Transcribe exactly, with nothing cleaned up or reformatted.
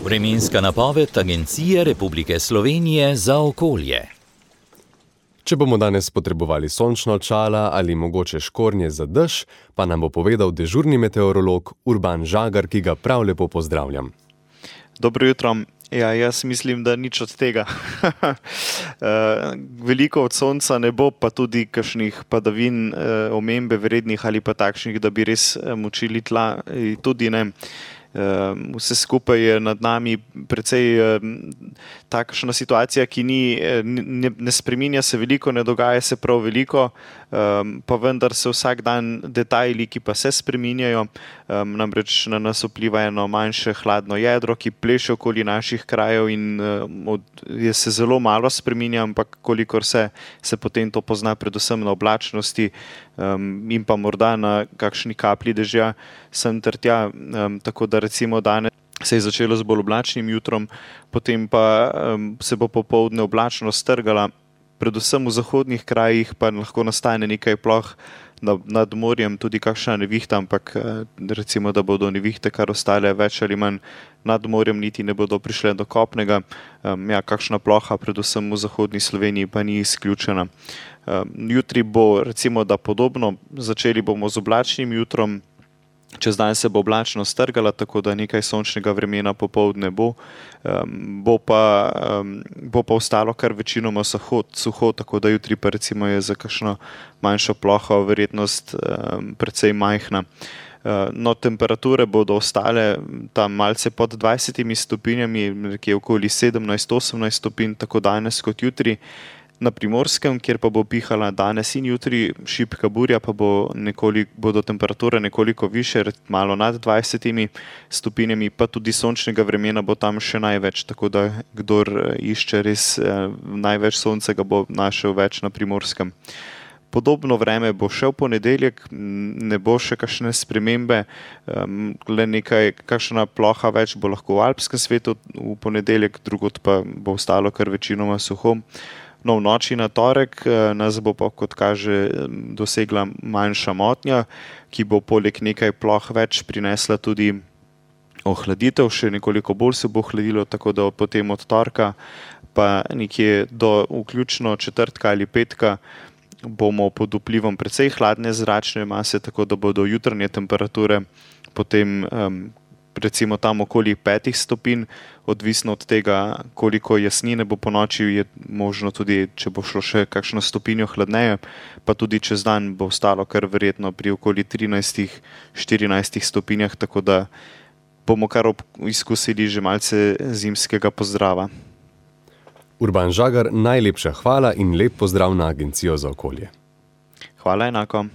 Vremenska napoved Agencije Republike Slovenije za okolje. Če bomo danes potrebovali sončna očala ali mogoče škornje za dež, pa nam bo povedal dežurni meteorolog Urban Žagar, ki ga prav lepo pozdravljam. Dobro jutro. Ja, jaz mislim, da nič od tega. Veliko od sonca ne bo, pa tudi kakšnih padavin, omembe vrednih ali pa takšnih, da bi res močili tla, tudi ne. Vse skupaj je nad nami precej takšna situacija, ki ni, ne, ne spreminja se veliko, ne dogaja se prav veliko, pa vendar se vsak dan detajli, ki pa se spreminjajo, namreč na nas vpliva eno manjše hladno jedro, ki pleše okoli naših krajev in je se zelo malo spreminja, ampak kolikor se, se potem to pozna predvsem na oblačnosti in pa morda na kakšni kaplji dežja sem ter tja, tako da recimo danes se je začelo z bolj oblačnim jutrom, potem pa um, se bo popoldne oblačnost strgala, predvsem v zahodnih krajih pa lahko nastane nekaj ploh nad, nad morjem, tudi kakšna nevihta, ampak recimo, da bodo nevihte kar ostale več ali manj nad morjem, niti ne bodo prišle do kopnega. Um, ja, kakšna ploha, predvsem v zahodni Sloveniji, pa ni izključena. Um, jutri bo recimo, da podobno, začeli bomo z oblačnim jutrom. Čez dan se bo oblačnost strgala, tako da nekaj sončnega vremena popoldne bo. Um, bo, pa, um, bo pa ostalo kar večinoma suho, suho, tako da jutri pa recimo je za kakšno manjšo ploho verjetnost um, precej majhna. Uh, no, temperature bodo ostale tam malce pod dvajsetimi stopinjami, nekje okoli sedemnajst osemnajst stopinj, tako danes kot jutri. Na Primorskem, kjer pa bo pihala danes in jutri šibka burja, pa bo nekoli, bodo temperature nekoliko više, malo nad dvajsetimi stopinjami, pa tudi sončnega vremena bo tam še največ, tako da kdor išče res eh, največ sonca, ga bo našel več na Primorskem. Podobno vreme bo še v ponedeljek, ne bo še kakšne spremembe, um, le nekaj, kakšna ploha več bo lahko v alpskem svetu v ponedeljek, drugod pa bo ostalo kar večinoma suho. No, v noči na torek nas bo pa, kot kaže, dosegla manjša motnja, ki bo poleg nekaj ploh več prinesla tudi ohladitev, še nekoliko bolj se bo ohladilo, tako da potem od torka pa nekje do vključno četrtka ali petka bomo pod vplivom precej hladne zračne mase, tako da bodo jutranje temperature potem um, recimo tam okoli petih stopinj, odvisno od tega, koliko jasnine bo po noči, je možno tudi, če bo šlo še kakšno stopinjo hladneje, pa tudi čez dan bo ostalo kar verjetno pri okoli trinajstih štirinajstih stopinjah, tako da bomo kar izkusili že malce zimskega pozdrava. Urban Žagar, najlepša hvala in lep pozdrav na Agencijo za okolje. Hvala enako.